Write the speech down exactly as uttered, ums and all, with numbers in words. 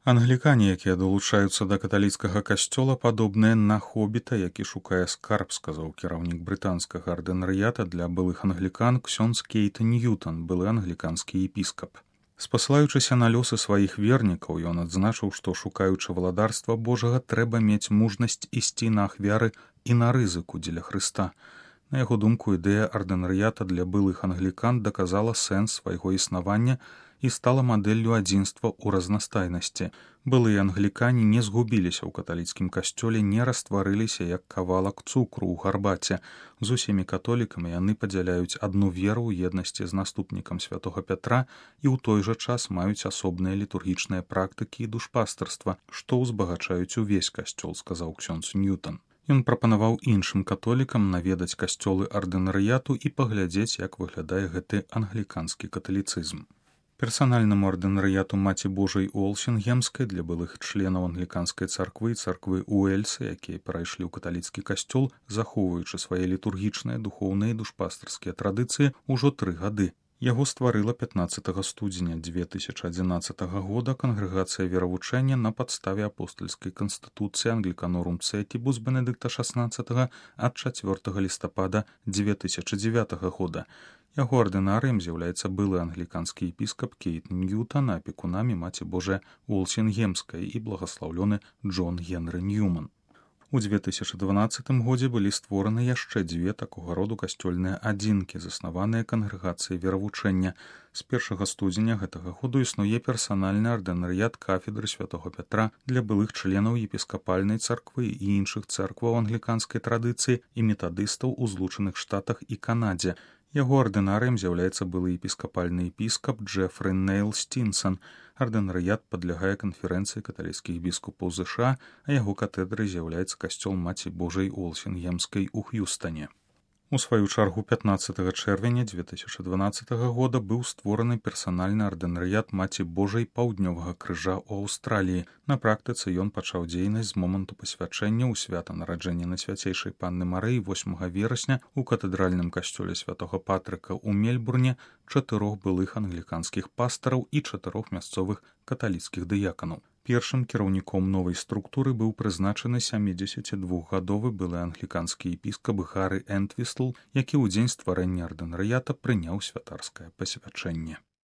Англікане, якія далучаюцца да каталіцкага касцёла, падобныя на хобіта, які шукае скарб, сказаў кіраўнік брытанскага ардынарыята для былых англікан ксёндз Кейт Ньютон, былы англіканскі епіскап. Спасылаючыся на лёсы сваіх вернікаў, ён адзначыў, што шукаючы валадарства Божага, трэба мець мужнасць ісці на ахвяры і на рызыку дзеля Хрыста. На яго думку, ідэя ардынарыята для былых англікан даказала сэнс свайго існавання і стала мадэллю адзінства ў разнастайнасці. Былыя англікане не згубіліся ў каталіцкім касцёле, не растварыліся як кавалак цукру ў гарбаце. З усімі католікамі яны падзяляюць адну веру ў еднасці з наступнікам святога Пятра і ў той жа час маюць асобныя літургічныя практыкі і душпастарства, што ўзбагачаюць увесь касцёл, сказаў ксёндз Ньютон. Ён прапанаваў іншым католікам наведаць касцёлы ардынарыяту і паглядзець, як выглядае гэты англіканскі каталіцызм. Персанальнаму ардынарыяту Маці Божай Уолсінгемскай для былых членаў англіканскай царквы і царквы Уэльса, якія перайшлі ў каталіцкі касцёл, захоўваючы свае літургічныя, духоўныя і душпастарскія традыцыі, ужо тры гады. Яго стварыла пятнаццатага студзеня дзве тысячы адзінаццатага года кангрэгацыя веравучэння на падставе апостальскай канстытуцыі Англіканорум Цэтібус Бенедыкта шаснаццатага ад чацвёртага лістапада дзве тысячы дзевятага года. Яго ардынарыем з'яўляецца былы англіканскі епіскап Кейт Ньютон, апекунамі Маці Божай Уолсінгемскай і благаслаўлёны Джон Генры Ньюман. У дзве тысячы дванаццатым годзе былі створаны яшчэ дзве такога роду касцёльныя адзінкі, заснаваныя кангрэгацыяй веравучэння. З першага студзеня гэтага году існуе персанальны ардынарыят кафедры святога Пятра для былых членаў епіскапальнай царквы і іншых цэркваў англіканскай традыцыі і метадыстаў у Злучаных Штатах і Канадзе. Яго ардынарыем з'яўляецца былы епіскапальны епіскап Джефры Нейл Стінсон. Ардынарыят падлягае канферэнцыі каталіцкіх біскупаў ЗША, а яго катедрай з'яўляецца касцёл Маці Божай Уолсінгемскай у Х'юстане. У сваю чаргу пятнаццатага чэрвеня дзве тысячы дванаццатага года быў створаны персанальны ардынарыят Маці Божай Паўднёвага крыжа ў Аўстраліі. На практыцы ён пачаў дзейнасць з моманту пасвячэння ў свята нараджэння Найсвяцейшай Панны Марыі восьмага верасня ў катэдральным касцёле святога Патрыка ў Мельбурне чатырох былых англіканскіх пастараў і чатырох мясцовых каталіцкіх дыяканаў. Першым кіраўніком новай структуры быў прызначаны сямідзесяцідвухгадовы былы англіканскі епіскап Гары Энтвістл, які ў дзень стварэння ардынарыята прыняў святарскае пасвячэнне.